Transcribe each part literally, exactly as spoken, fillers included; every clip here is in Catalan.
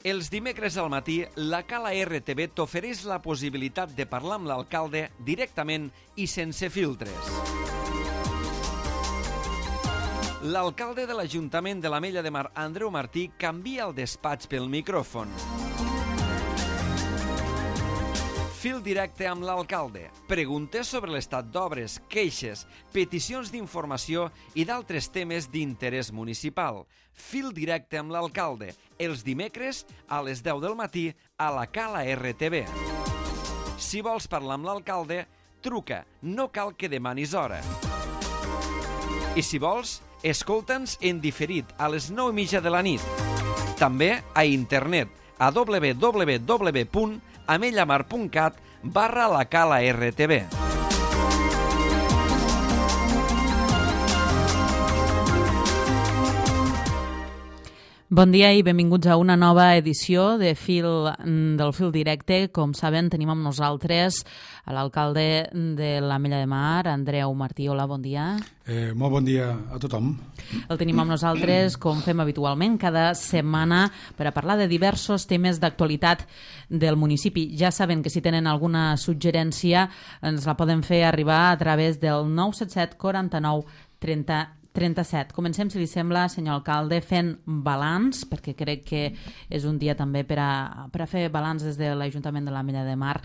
Els dimecres al matí, la Cala R T V t'ofereix la possibilitat de parlar amb l'alcalde directament i sense filtres. L'alcalde de l'Ajuntament de l'Ametlla de Mar, Andreu Martí, canvia el despatx pel micròfon. Fil directe amb l'alcalde. Preguntes sobre l'estat d'obres, queixes, peticions d'informació i d'altres temes d'interès municipal. Fil directe amb l'alcalde. Els dimecres a les deu del matí a la Cala R T V. Si vols parlar amb l'alcalde, truca. No cal que demanis hora. I si vols, escolta'ns en diferit a les nou i mitja de la nit. També a internet a w w w punt amellamar punt cat barra la Cala R T V. Bon dia i benvinguts a una nova edició de Fil, del Fil Directe. Com saben, tenim amb nosaltres l'alcalde de l'Ametlla de Mar, Andreu Martí. Hola, bon dia. Eh, molt bon dia a tothom. El tenim amb nosaltres, com fem habitualment, cada setmana per a parlar de diversos temes d'actualitat del municipi. Ja saben que si tenen alguna suggerència ens la poden fer arribar a través del nou set set quaranta-nou trenta trenta-set. Comencem, si li sembla, senyor alcalde, fent balanç, perquè crec que és un dia també per a, per a fer balanç des de l'Ajuntament de l'Ametlla de Mar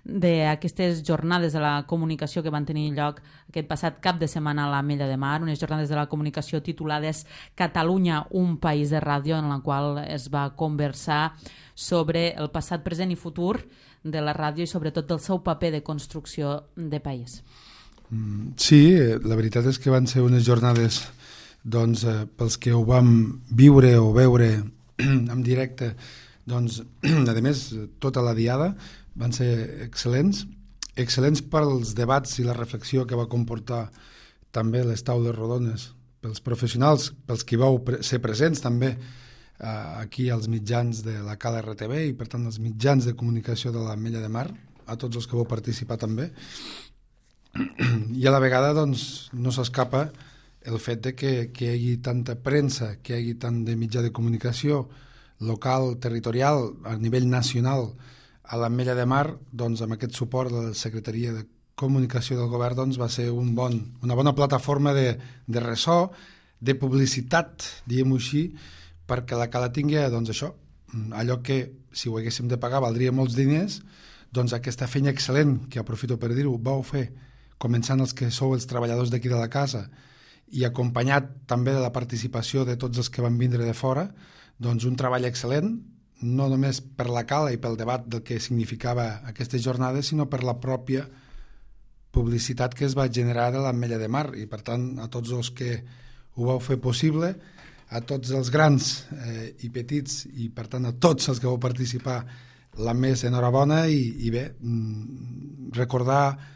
d'aquestes jornades de la comunicació que van tenir lloc aquest passat cap de setmana a l'Ametlla de Mar, unes jornades de la comunicació titulades Catalunya, un país de ràdio, en la qual es va conversar sobre el passat, present i futur de la ràdio i sobretot del seu paper de construcció de país. Sí, la veritat és que van ser unes jornades doncs, eh, pels que ho vam viure o veure en directe, doncs, a més, tota la diada van ser excel·lents, excel·lents pels debats i la reflexió que va comportar també les taules rodones, pels professionals, pels que vau pre- ser presents també eh, aquí als mitjans de la Cala R T V i per tant als mitjans de comunicació de l'Ametlla de Mar, a tots els que vau participar també. I a la vegada doncs, no s'escapa el fet de que, que hi hagi tanta premsa, que hi hagi tant de mitjà de comunicació local, territorial, a nivell nacional a l'Ametlla de Mar, doncs amb aquest suport de la Secretaria de Comunicació del Govern doncs, va ser un bon, una bona plataforma de, de ressò, de publicitat, diguem-ho així, perquè la Cala tingui doncs, això, allò que si ho haguéssim de pagar valdria molts diners, doncs aquesta feina excel·lent, que aprofito per dir-ho, vau fer començant els que sou els treballadors d'aquí de la casa i acompanyat també de la participació de tots els que van vindre de fora, doncs un treball excel·lent, no només per la Cala i pel debat del que significava aquestes jornades, sinó per la pròpia publicitat que es va generar a l'Ametlla de Mar i per tant a tots els que ho vau fer possible, a tots els grans eh, i petits i per tant a tots els que vau participar, la més enhorabona i, i bé, recordar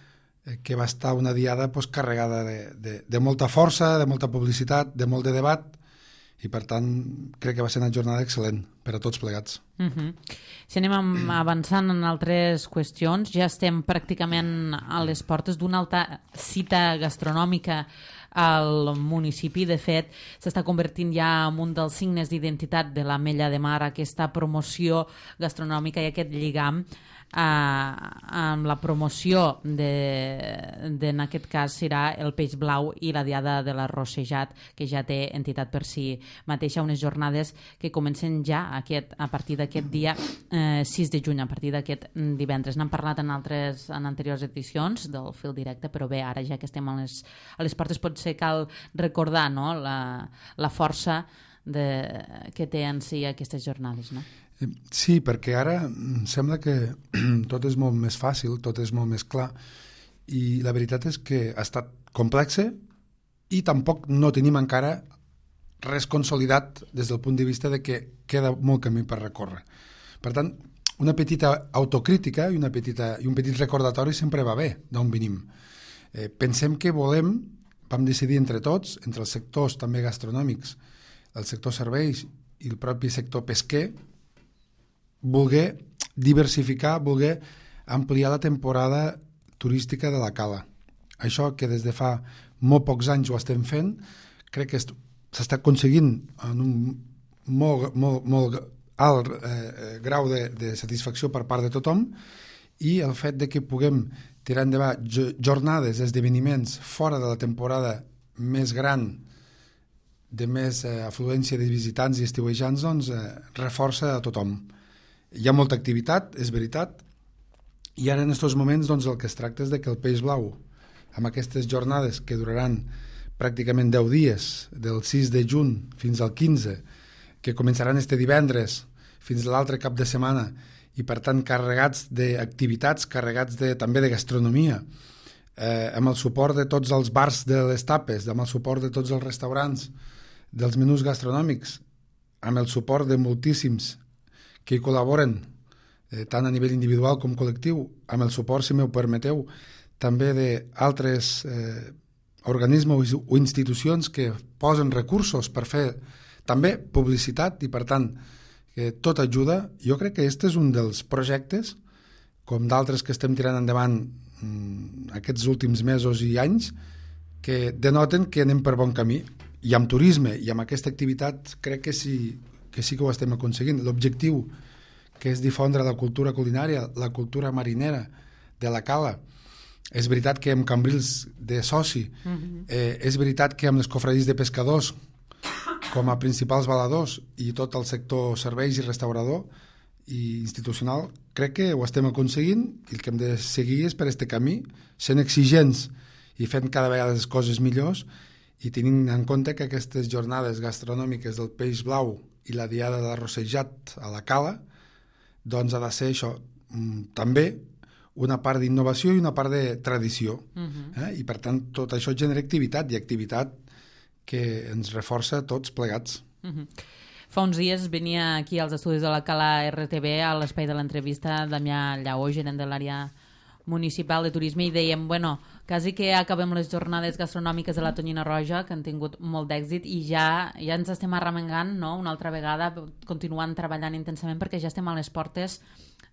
que va estar una diada pues, carregada de, de, de molta força, de molta publicitat, de molt de debat i per tant crec que va ser una jornada excel·lent per a tots plegats. Uh-huh. Si anem avançant en altres qüestions, ja estem pràcticament a les portes d'una alta cita gastronòmica al municipi. De fet, s'està convertint ja en un dels signes d'identitat de l'Ametlla de Mar, aquesta promoció gastronòmica i aquest lligam eh, amb la promoció de, de, en aquest cas serà el peix blau i la diada de l'arrossejat, que ja té entitat per si mateixa, unes jornades que comencen ja aquest, a partir d'aquest dia eh, sis de juny, a partir d'aquest divendres. N'hem parlat en altres en anteriors edicions del Fil Directe, però bé, ara ja que estem a les, a les portes potser cal recordar, no?, la, la força de, que té en si aquestes jornades, no? Sí, perquè ara em sembla que tot és molt més fàcil, tot és molt més clar i la veritat és que ha estat complexe i tampoc no tenim encara res consolidat des del punt de vista de que queda molt camí per recórrer. Per tant, una petita autocrítica i, una petita, i un petit recordatori sempre va bé d'on venim. Eh, pensem que volem, vam decidir entre tots, entre els sectors també gastronòmics, el sector serveis i el propi sector pesquer, voler diversificar, voler ampliar la temporada turística de la Cala. Això que des de fa molt pocs anys ho estem fent, crec que s'està aconseguint en un molt, molt, molt alt eh, grau de, de satisfacció per part de tothom, i el fet de que puguem tirar endavant jornades, esdeveniments fora de la temporada més gran, de més eh, afluència de visitants i estiuejants, doncs eh, reforça a tothom. Hi ha molta activitat, és veritat, i ara en aquests moments doncs, el que es tracta és de que el Peix Blau, amb aquestes jornades que duraran pràcticament deu dies, del sis de juny fins al quinze, que començaran este divendres fins a l'altre cap de setmana, i per tant carregats d'activitats, carregats de, també de gastronomia, eh, amb el suport de tots els bars de les tapes, amb el suport de tots els restaurants, dels menús gastronòmics, amb el suport de moltíssims que hi col·laboren, eh, tant a nivell individual com col·lectiu, amb el suport, si m'ho permeteu, també d'altres eh, organismes o institucions que posen recursos per fer també publicitat, i per tant que tot ajuda. Jo crec que aquest és un dels projectes, com d'altres que estem tirant endavant mmm, aquests últims mesos i anys, que denoten que anem per bon camí, i amb turisme i amb aquesta activitat crec que sí que, sí que ho estem aconseguint. L'objectiu, que és difondre la cultura culinària, la cultura marinera de la cala. És veritat que amb Cambrils de soci, uh-huh. eh, és veritat que amb les cofradís de pescadors com a principals valadors i tot el sector serveis i restaurador i institucional, crec que ho estem aconseguint, i el que hem de seguir és per este camí, sent exigents i fent cada vegada les coses millors, i tenint en compte que aquestes jornades gastronòmiques del Peix Blau i la diada de l'arrossejat a la cala, doncs ha de ser això, també una part d'innovació i una part de tradició. Uh-huh. eh? I per tant tot això genera activitat, i activitat que ens reforça tots plegats. Uh-huh. Fa uns dies venia aquí als estudis de la Cala R T V, a l'espai de l'entrevista, Damià Llaó, gerent de l'àrea municipal de turisme, i dèiem, bueno, quasi que acabem les jornades gastronòmiques de la Tonyina Roja, que han tingut molt d'èxit, i ja ja ens estem arremengant, no?, una altra vegada, continuant treballant intensament, perquè ja estem a les portes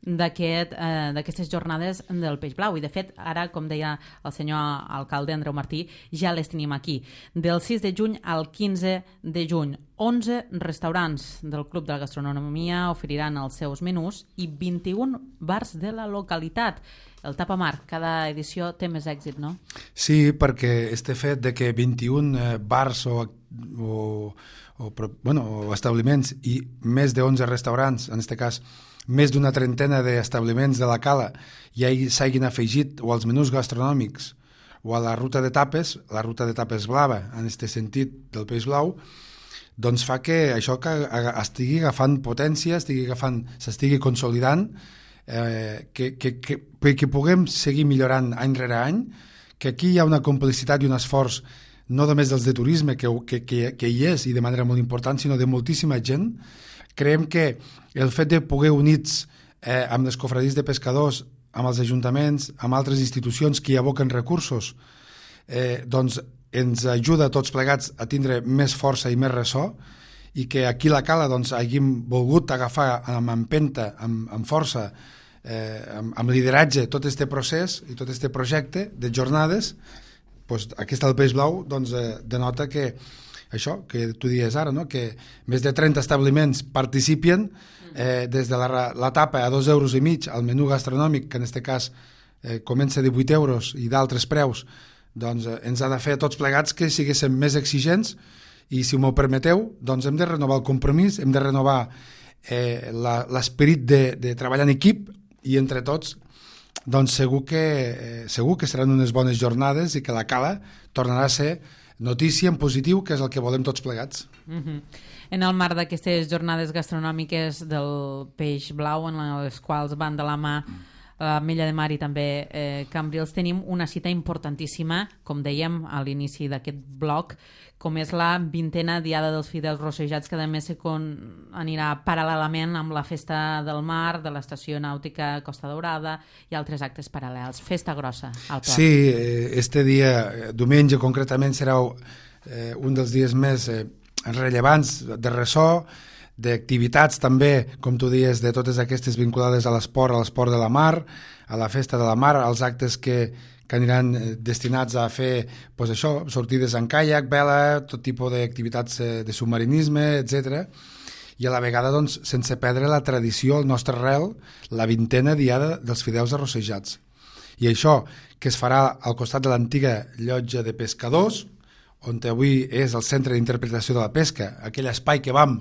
d'aquest, eh, d'aquestes jornades del Peix Blau. I de fet, ara, com deia el senyor alcalde Andreu Martí, ja les tenim aquí. Del sis de juny al quinze de juny, onze restaurants del Club de la Gastronomia oferiran els seus menús i vint-i-un bars de la localitat. El Tapamar, cada edició té més èxit, no? Sí, perquè este fet de que vint-i-un bars o, o, o, bueno, o establiments i més de onze restaurants, en aquest cas més d'una trentena d'establiments de la cala, ja s'hagin afegit o als menús gastronòmics o a la ruta de tapes, la ruta de tapes blava, en aquest sentit del Peix Blau, doncs fa que això que estigui agafant potència, estigui agafant, s'estigui consolidant, eh, que, que, que, que puguem seguir millorant any rere any, que aquí hi ha una complicitat i un esforç no només dels de turisme, que, que, que, que hi és i de manera molt important, sinó de moltíssima gent. Creiem que el fet de poder units eh, amb les cofradís de pescadors, amb els ajuntaments, amb altres institucions que hi aboquen recursos, eh, doncs ens ajuda a tots plegats a tindre més força i més ressò, i que aquí a la Cala doncs, hàgim volgut agafar amb empenta, amb, amb força, eh, amb, amb lideratge tot aquest procés i tot aquest projecte de jornades. Doncs aquesta del Peix Blau doncs, eh, denota que això que tu dies ara, no? Que més de trenta establiments participen eh, des de la, la tapa a dos euros i mig al menú gastronòmic, que en aquest cas eh, comença a divuit euros i d'altres preus, doncs eh, ens ha de fer a tots plegats que siguéssim més exigents, i si m'ho permeteu, doncs hem de renovar el compromís, hem de renovar eh, l'esperit de, de treballar en equip, i entre tots doncs segur que, eh, segur que seran unes bones jornades i que la Cala tornarà a ser notícia en positiu, que és el que volem tots plegats. Uh-huh. En el marc d'aquestes jornades gastronòmiques del Peix Blau, en les quals van de la mà l'Ametlla de Mar i també eh, Cambrils, tenim una cita importantíssima, com dèiem a l'inici d'aquest bloc, com és la vintena Diada dels Fidels Rossejats, que a més con... anirà paral·lelament amb la Festa del Mar, de l'Estació Nàutica Costa Daurada i altres actes paral·lels. Festa grossa al port. Sí, este dia, diumenge concretament, serà eh, un dels dies més eh, rellevants de ressò, d'activitats també, com tu dies, de totes aquestes vinculades a l'esport, a l'esport de la mar, a la Festa de la Mar, als actes que, que aniran destinats a fer pues això, sortides en caiac, vela, tot tipus d'activitats de submarinisme, etcètera. i a la vegada doncs, sense perdre la tradició, el nostre arrel, la vintena diada dels fideus arrossejats. I això que es farà al costat de l'antiga llotja de pescadors, on avui és el centre d'interpretació de la pesca, aquell espai que vam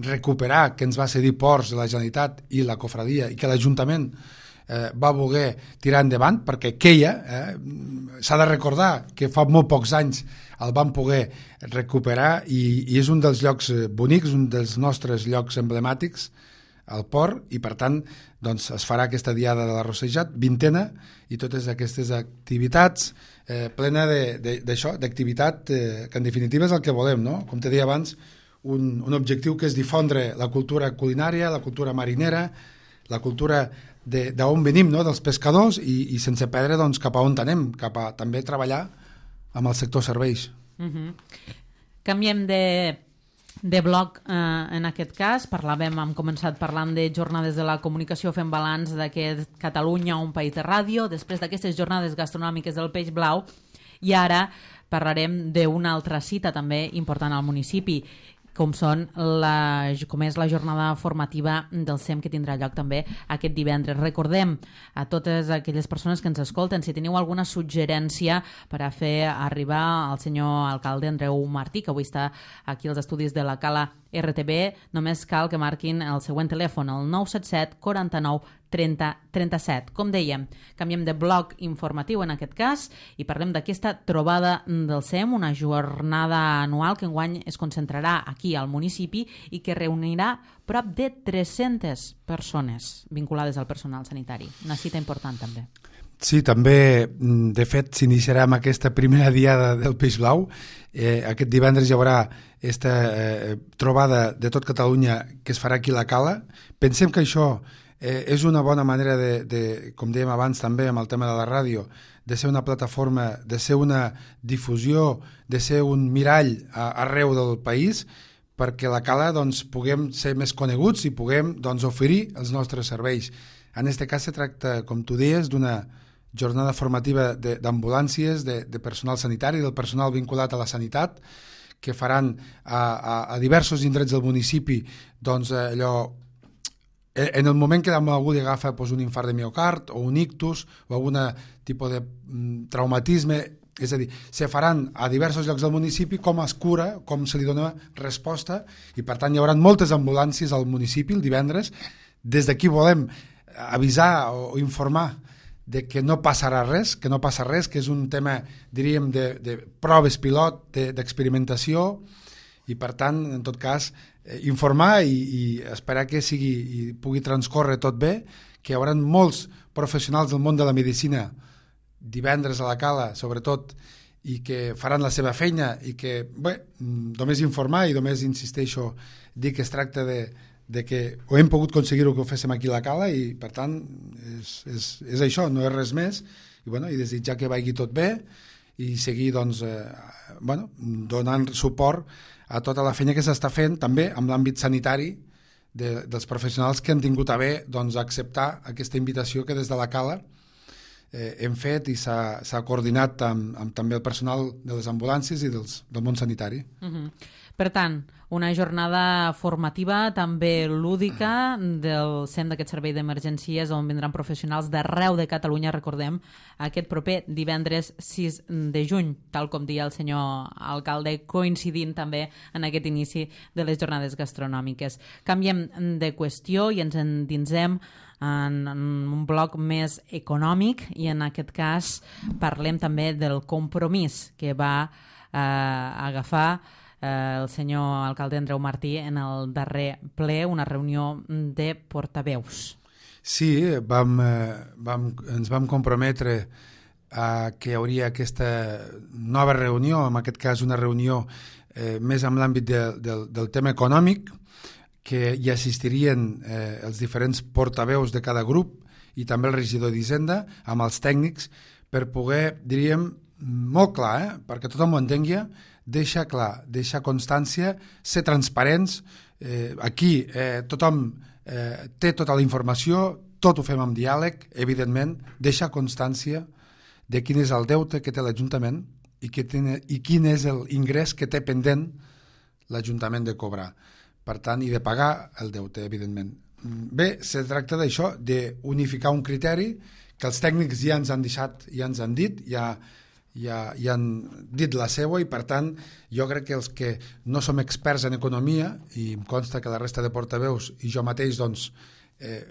recuperar, que ens va cedir Ports de la Generalitat i la Cofradia, i que l'Ajuntament eh, va voler tirar endavant, perquè queia, eh, s'ha de recordar que fa molt pocs anys el vam poder recuperar i, i és un dels llocs bonics, un dels nostres llocs emblemàtics, al port, i per tant doncs, es farà aquesta diada de l'arrossejat, vintena, i totes aquestes activitats eh, plena d'això, d'activitat eh, que en definitiva és el que volem, no? Com te deia abans, un, un objectiu que és difondre la cultura culinària, la cultura marinera, la cultura d'on venim, no? Dels pescadors, i, i sense perdre doncs, cap a on anem, cap a també treballar amb el sector serveis. Mm-hmm. Canviem de de bloc, eh, en aquest cas. Parlàvem, hem començat parlant de jornades de la comunicació, fent balanç d'aquest Catalunya, un país de ràdio, després d'aquestes jornades gastronòmiques del Peix Blau, i ara parlarem d'una altra cita també important al municipi, com, són la, com és la jornada formativa del S E M, que tindrà lloc també aquest divendres. Recordem a totes aquelles persones que ens escolten, si teniu alguna suggerència per a fer arribar al senyor alcalde Andreu Martí, que avui està aquí als estudis de la Cala R T B, només cal que marquin el següent telèfon, el nou set set quaranta-nou trenta trenta-set. Com dèiem, canviem de bloc informatiu en aquest cas i parlem d'aquesta trobada del S E M, una jornada anual que enguany es concentrarà aquí al municipi i que reunirà prop de tres-centes persones vinculades al personal sanitari. Una cita important també. Sí, també, de fet, s'iniciarà amb aquesta primera diada del Peix Blau. Eh, aquest divendres hi haurà aquesta eh, trobada de tot Catalunya que es farà aquí a la Cala. Pensem que això eh, és una bona manera de, de, com dèiem abans també amb el tema de la ràdio, de ser una plataforma, de ser una difusió, de ser un mirall a, arreu del país, perquè a la Cala doncs, puguem ser més coneguts i puguem doncs, oferir els nostres serveis. En aquest cas se tracta, com tu deies, d'una jornada formativa d'ambulàncies, de, de personal sanitari, del personal vinculat a la sanitat, que faran a, a, a diversos indrets del municipi, doncs allò, en el moment que algú li agafa doncs, un infart de miocard o un ictus o algun tipus de mm, traumatisme, és a dir, se faran a diversos llocs del municipi com es cura, com se li dona resposta, i per tant hi haurà moltes ambulàncies al municipi el divendres. Des d'aquí volem avisar o informar de que no passarà res, que no passa res, que és un tema, diríem, de, de proves pilot, d'experimentació, i per tant, en tot cas, eh, informar i, i esperar que sigui i pugui transcórrer tot bé, que hi haurà molts professionals del món de la medicina divendres a la Cala, sobretot, i que faran la seva feina i que, bé, només informar i només insisteixo, dir que es tracta de de que ho hem pogut aconseguir-ho que ho féssim aquí a la Cala i per tant és, és, és això, no és res més i, bueno, i desitjar que vagi tot bé i seguir doncs, eh, bueno, donant suport a tota la feina que s'està fent també amb l'àmbit sanitari de, dels professionals que han tingut a bé doncs, acceptar aquesta invitació que des de la Cala eh, hem fet i s'ha coordinat amb, amb també el personal de les ambulàncies i dels, del món sanitari. Mm-hmm. Per tant, una jornada formativa també lúdica del C E M d'aquest servei d'emergències on vindran professionals d'arreu de Catalunya, recordem, aquest proper divendres sis de juny, tal com deia el senyor alcalde, coincidint també en aquest inici de les jornades gastronòmiques. Canviem de qüestió i ens endinsem en un bloc més econòmic i en aquest cas parlem també del compromís que va eh, agafar el senyor alcalde Andreu Martí en el darrer ple, una reunió de portaveus. Sí, vam, vam, ens vam comprometre a que hi hauria aquesta nova reunió, en aquest cas una reunió eh, més en l'àmbit de, de, del tema econòmic, que hi assistirien eh, els diferents portaveus de cada grup i també el regidor d'Hisenda amb els tècnics per poder, diríem, molt clar, eh, perquè tothom ho entengui, deixar clar, deixar constància, ser transparents, eh, aquí eh, tothom eh, té tota la informació, tot ho fem amb diàleg, evidentment, deixar constància de quin és el deute que té l'Ajuntament i, que té, i quin és l'ingrés que té pendent l'Ajuntament de cobrar. per tant, i de pagar el deute, evidentment. Bé, se tracta d'això, d'unificar un criteri que els tècnics ja ens han deixat, ja ens han dit, ja, ja, ja han dit la seva, i per tant jo crec que els que no som experts en economia, i em consta que la resta de portaveus i jo mateix doncs, eh,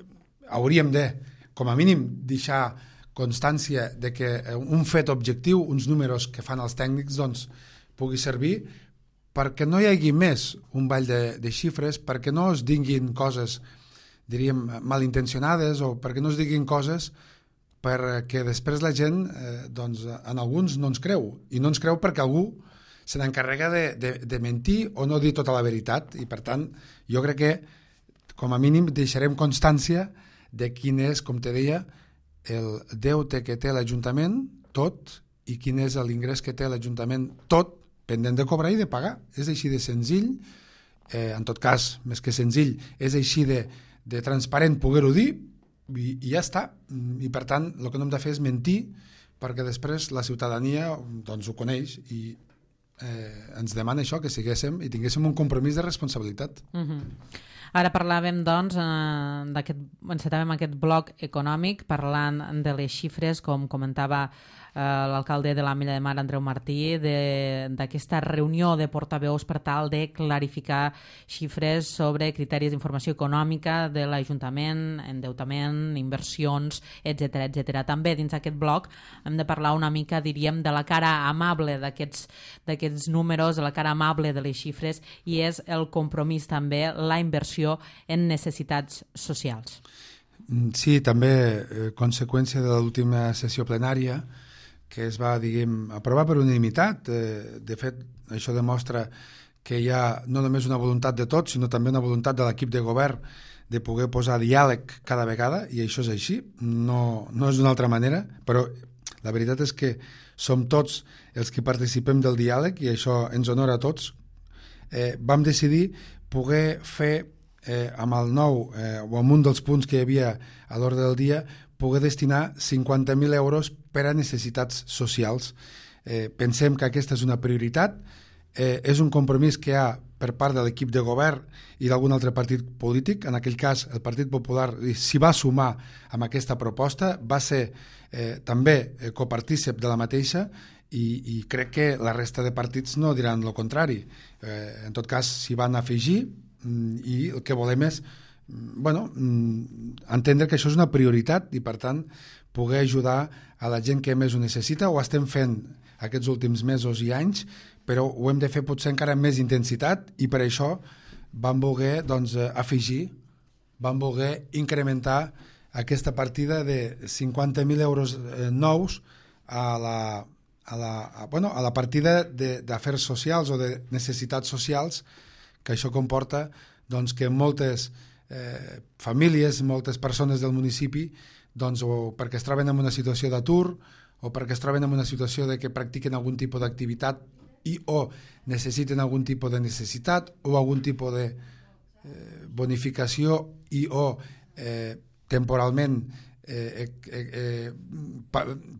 hauríem de, com a mínim, deixar constància de que un fet objectiu, uns números que fan els tècnics, doncs, pugui servir perquè no hi hagi més un ball de, de xifres, perquè no es diguin coses, diríem, malintencionades, o perquè no es diguin coses perquè després la gent, eh, doncs, en alguns no ens creu, i no ens creu perquè algú se n'encarrega de, de, de mentir o no dir tota la veritat, i per tant jo crec que com a mínim deixarem constància de quin és, com te deia, el deute que té l'Ajuntament, tot, i quin és l'ingrés que té l'Ajuntament, tot, pendent de cobrar i de pagar. És així de senzill, eh, en tot cas, més que senzill, és així de, de transparent poder-ho dir, i, i ja està. I per tant, el que no hem de fer és mentir, perquè després la ciutadania doncs, ho coneix i eh, ens demana això, que siguéssim i tinguéssim un compromís de responsabilitat. Mm-hmm. Ara parlàvem, doncs, eh, encetàvem aquest bloc econòmic parlant de les xifres, com comentava eh, l'alcalde de l'Ametlla de Mar, Andreu Martí, d'aquesta reunió de portaveus per tal de clarificar xifres sobre criteris d'informació econòmica de l'Ajuntament, endeutament, inversions, etcètera, etcètera. També dins d'aquest bloc hem de parlar una mica, diríem, de la cara amable d'aquests d'aquests números, de la cara amable de les xifres, i és el compromís també, la inversió en necessitats socials. Sí, també eh, conseqüència de l'última sessió plenària que es va, diguem, aprovar per unanimitat. Eh, de fet, això demostra que hi ha no només una voluntat de tots, sinó també una voluntat de l'equip de govern de poder posar diàleg cada vegada, i això és així, no, no és d'una altra manera, però la veritat és que som tots els que participem del diàleg i això ens honora a tots. Eh, vam decidir poder fer Eh, amb el nou eh, o amb un dels punts que hi havia a l'ordre del dia, poder destinar cinquanta mil euros per a necessitats socials. Eh, pensem que aquesta és una prioritat, eh, és un compromís que hi ha per part de l'equip de govern i d'algun altre partit polític. En aquell cas el Partit Popular s'hi va sumar amb aquesta proposta, va ser eh, també eh, copartícip de la mateixa, i, i crec que la resta de partits no diran el contrari. Eh, en tot cas s'hi van afegir, i el que volem és bueno, entendre que això és una prioritat i per tant poder ajudar a la gent que més ho necessita. Ho estem fent aquests últims mesos i anys, però ho hem de fer potser encara amb més intensitat, i per això vam voler doncs, afegir, vam voler incrementar aquesta partida de cinquanta mil euros nous a la, a la, a, bueno, a la partida d'afers socials o de necessitats socials, que això comporta doncs, que moltes eh, famílies, moltes persones del municipi, doncs, o perquè es troben en una situació d'atur o perquè es troben en una situació de que practiquen algun tipus d'activitat i o necessiten algun tipus de necessitat o algun tipus de eh, bonificació i o eh, temporalment eh, eh, eh,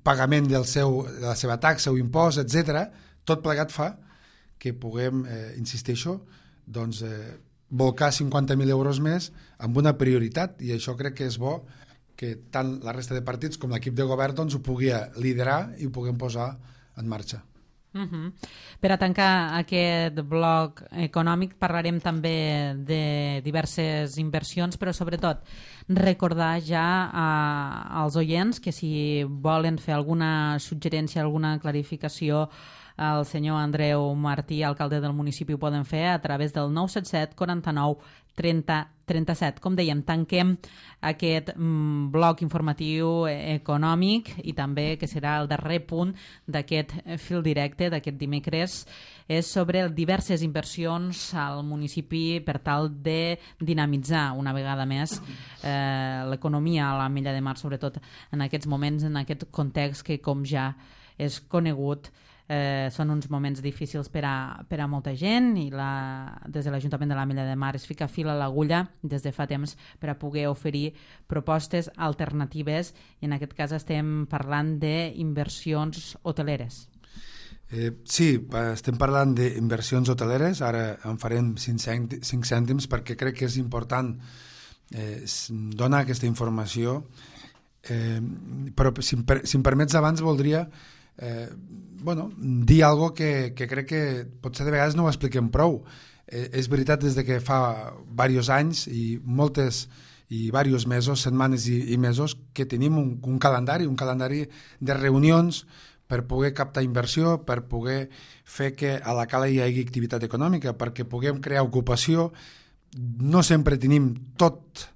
pagament del seu, de la seva taxa o impost, etcètera. Tot plegat fa que puguem, eh, insisteixo, doncs, eh, volcar cinquanta mil euros més amb una prioritat, i això crec que és bo que tant la resta de partits com l'equip de govern doncs, ho pugui liderar i ho puguem posar en marxa. Uh-huh. Per a tancar aquest bloc econòmic parlarem també de diverses inversions, però sobretot recordar ja a, als oients que si volen fer alguna suggerència, alguna clarificació, el senyor Andreu Martí, alcalde del municipi, ho poden fer a través del nou set set quaranta-nou trenta trenta-set. Com dèiem, tanquem aquest mm, bloc informatiu econòmic i també, que serà el darrer punt d'aquest fil directe d'aquest dimecres, és sobre diverses inversions al municipi per tal de dinamitzar una vegada més eh, l'economia a l'Ametlla de Mar, sobretot en aquests moments, en aquest context que, com ja és conegut, Eh, són uns moments difícils per a, per a molta gent, i la, des de l'Ajuntament de l'Ametlla de Mar es fica fil a l'agulla des de fa temps per a poder oferir propostes alternatives, i en aquest cas estem parlant d'inversions hoteleres. Eh, sí, estem parlant d'inversions hoteleres, ara en farem cinc cèntims perquè crec que és important eh, donar aquesta informació, eh, però si, si em permets abans voldria eh, bueno, dir alguna cosa que, que crec que potser de vegades no ho expliquem prou. Eh, és veritat des de que fa diversos anys i moltes i diversos mesos, setmanes i, i mesos que tenim un, un calendari, un calendari de reunions per poder captar inversió, per poder fer que a la cala hi hagi activitat econòmica, perquè puguem crear ocupació. No sempre tenim tot,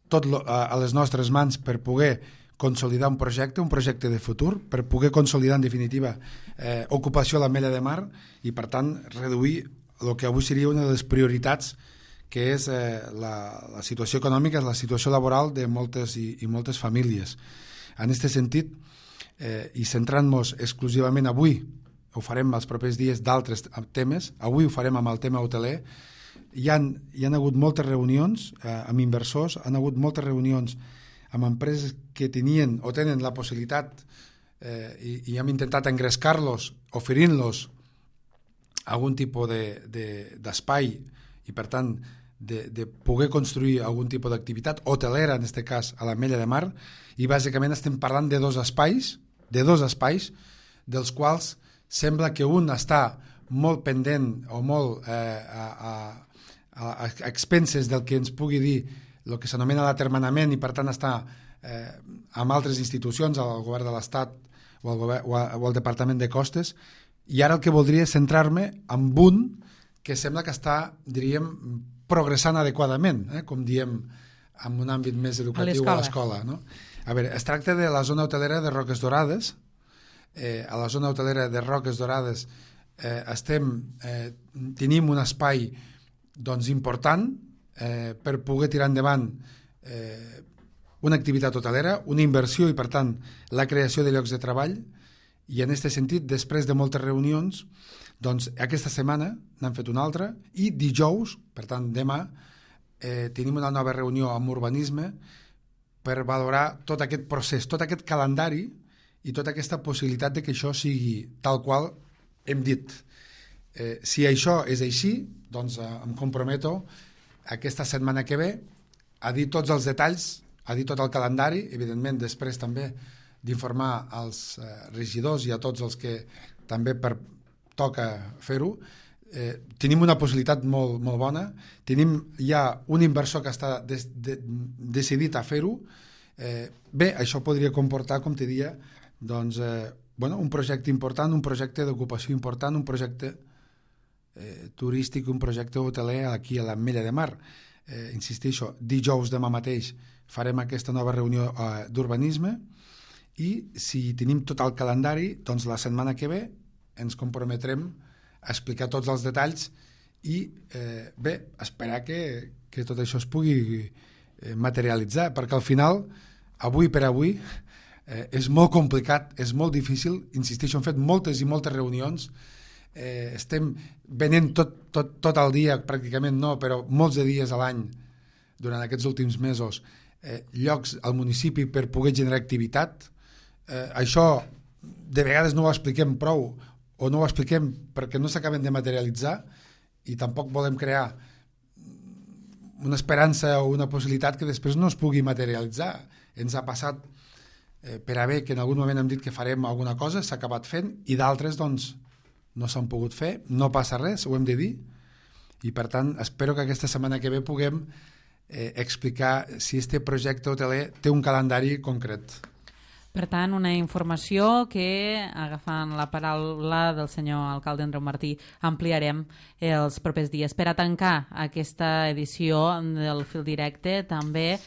tot lo, a, a les nostres mans per poder consolidar un projecte, un projecte de futur, per poder consolidar en definitiva eh, ocupació a l'Ametlla de Mar i per tant reduir el que avui seria una de les prioritats que és eh, la, la situació econòmica, la situació laboral de moltes i, i moltes famílies. En aquest sentit, eh, i centrant-nos exclusivament avui, ho farem els propers dies d'altres temes, avui ho farem amb el tema hoteler, hi han, hi han hagut moltes reunions eh, amb inversors, han hagut moltes reunions amb empreses que tenien o tenen la possibilitat eh, i, i hem intentat engrescar-los oferint-los algun tipus d'espai de, de, i per tant de, de poder construir algun tipus d'activitat hotelera, en aquest cas a l'Ametlla de Mar, i bàsicament estem parlant de dos espais, de dos espais, dels quals sembla que un està molt pendent o molt eh, a, a, a expenses del que ens pugui dir el que s'anomena l'atermenament i per tant està eh, amb altres institucions, al govern de l'Estat o al, govern, o, a, o al Departament de Costes, i ara el que voldria és centrar-me en un que sembla que està, diríem, progressant adequadament, eh, com diem en un àmbit més educatiu a l'escola. No? A veure, es tracta de la zona hotelera de Roques Dorades. Eh, a la zona hotelera de Roques Dorades eh, estem, eh, tenim un espai doncs, important eh, per poder tirar endavant eh, una activitat hotelera, una inversió i, per tant, la creació de llocs de treball. I en aquest sentit, després de moltes reunions, doncs aquesta setmana n'han fet una altra i dijous, per tant demà, eh, tenim una nova reunió amb urbanisme per valorar tot aquest procés, tot aquest calendari i tota aquesta possibilitat de que això sigui tal qual hem dit. Eh, si això és així, doncs eh, em comprometo aquesta setmana que ve a dir tots els detalls, a dir tot el calendari, evidentment després també d'informar als eh, regidors i a tots els que també per, toca fer-ho. Eh, tenim una possibilitat molt, molt bona, tenim ja un inversor que està des, de, decidit a fer-ho. Eh, bé, això podria comportar, com te dia, doncs, eh, bueno, un projecte important, un projecte d'ocupació important, un projecte eh, turístic, un projecte hoteler aquí a l'Ametlla de Mar. Eh, insisteixo, dijous demà mateix farem aquesta nova reunió eh, d'urbanisme i si tenim tot el calendari, doncs la setmana que ve ens comprometrem a explicar tots els detalls i eh, bé, esperar que, que tot això es pugui eh, materialitzar, perquè al final, avui per avui, eh, és molt complicat, és molt difícil, insisteixo, hem fet moltes i moltes reunions, eh, estem venent tot, tot, tot el dia, pràcticament no, però molts de dies a l'any, durant aquests últims mesos, eh, llocs al municipi per poder generar activitat. Eh, això de vegades no ho expliquem prou, o no ho expliquem perquè no s'acaben de materialitzar i tampoc volem crear una esperança o una possibilitat que després no es pugui materialitzar. Ens ha passat eh, per haver que en algun moment hem dit que farem alguna cosa, s'ha acabat fent i d'altres doncs no s'han pogut fer, no passa res, ho hem de dir i per tant espero que aquesta setmana que ve puguem eh, explicar si este projecte hoteler té un calendari concret. Per tant, una informació que, agafant la paraula del senyor alcalde Andreu Martí, ampliarem els propers dies. Per a tancar aquesta edició del Fil Directe, també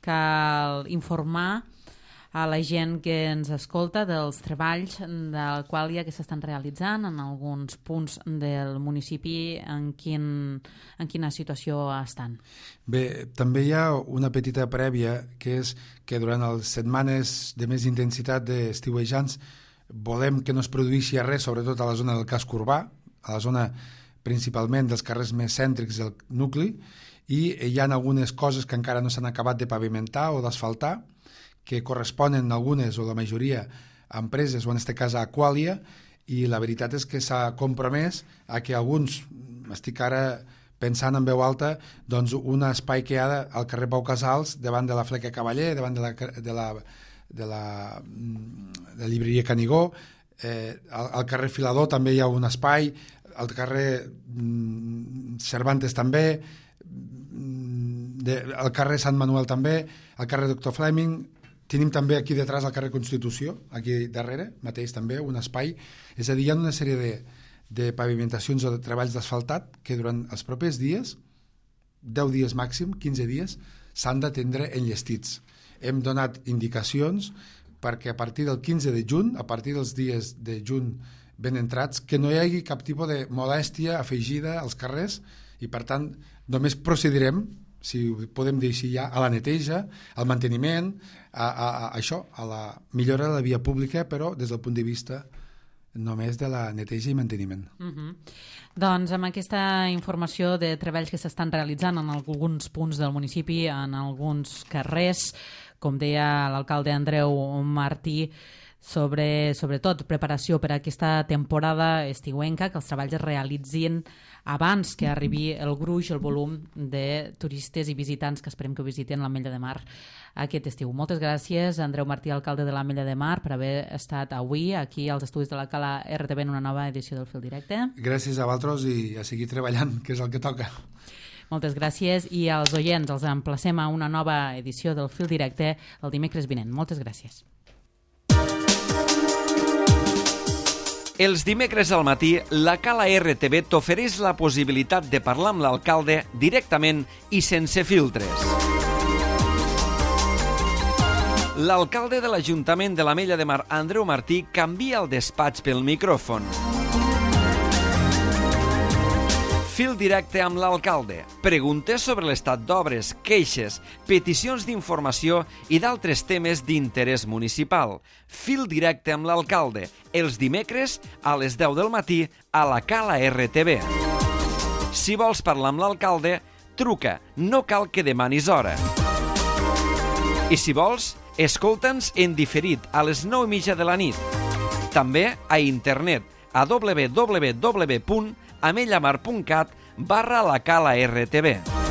cal informar a la gent que ens escolta dels treballs del qual hi ha que s'estan realitzant en alguns punts del municipi, en, quin, en quina situació estan. Bé, també hi ha una petita prèvia, que és que durant les setmanes de més intensitat d'estiuejants volem que no es produeixi res, sobretot a la zona del casc urbà, a la zona principalment dels carrers més cèntrics del nucli, i hi ha algunes coses que encara no s'han acabat de pavimentar o d'asfaltar, que corresponen algunes o la majoria a empreses, o en aquest cas a Aquàlia, i la veritat és que s'ha compromès a que alguns, estic ara pensant en veu alta, doncs un espai que hi ha al carrer Pau Casals, davant de la Fleca Cavaller, davant de la, de la, de la, de la llibreria Canigó, eh, al, al carrer Filador també hi ha un espai, al carrer mm, Cervantes també, de, al carrer Sant Manuel també, al carrer Doctor Fleming, tenim també aquí detrás al carrer Constitució, aquí darrere, mateix també, un espai, és a dir, hi ha una sèrie de de pavimentacions o de treballs d'asfaltat que durant els propers dies, deu dies màxim, quinze dies, s'han d'atendre enllestits. Hem donat indicacions perquè a partir del quinze de juny, a partir dels dies de juny ben entrats, que no hi hagi cap tipus de molèstia afegida als carrers i, per tant, només procedirem, si ho podem dir així ja, a la neteja, al manteniment, a, a, a això, a la millora de la via pública, però des del punt de vista només de la neteja i manteniment. Uh-huh. Doncs amb aquesta informació de treballs que s'estan realitzant en alguns punts del municipi, en alguns carrers, com deia l'alcalde Andreu Martí, sobre, sobretot, preparació per a aquesta temporada estiuenca, que els treballs es realitzin abans que arribi el gruix, el volum de turistes i visitants que esperem que visiten l'Ametlla de Mar aquest estiu. Moltes gràcies, Andreu Martí, alcalde de l'Ametlla de Mar, per haver estat avui aquí als estudis de la Cala R T V en una nova edició del Fil Directe. Gràcies a vosaltres i a seguir treballant, que és el que toca. Moltes gràcies i als oients els emplacem a una nova edició del Fil Directe el dimecres vinent. Moltes gràcies. Els dimecres al matí, la Cala R T V t'ofereix la possibilitat de parlar amb l'alcalde directament i sense filtres. L'alcalde de l'Ajuntament de l'Ametlla de Mar, Andreu Martí, canvia el despatx pel micròfon. Fil directe amb l'alcalde. Preguntes sobre l'estat d'obres, queixes, peticions d'informació i d'altres temes d'interès municipal. Fil directe amb l'alcalde. Els dimecres a les deu del matí a la Cala R T V. Si vols parlar amb l'alcalde, truca. No cal que demanis hora. I si vols, escolta'ns en diferit a les nou i mitja de la nit. També a internet a w w w punt amellamar punt cat barra la Cala R T V.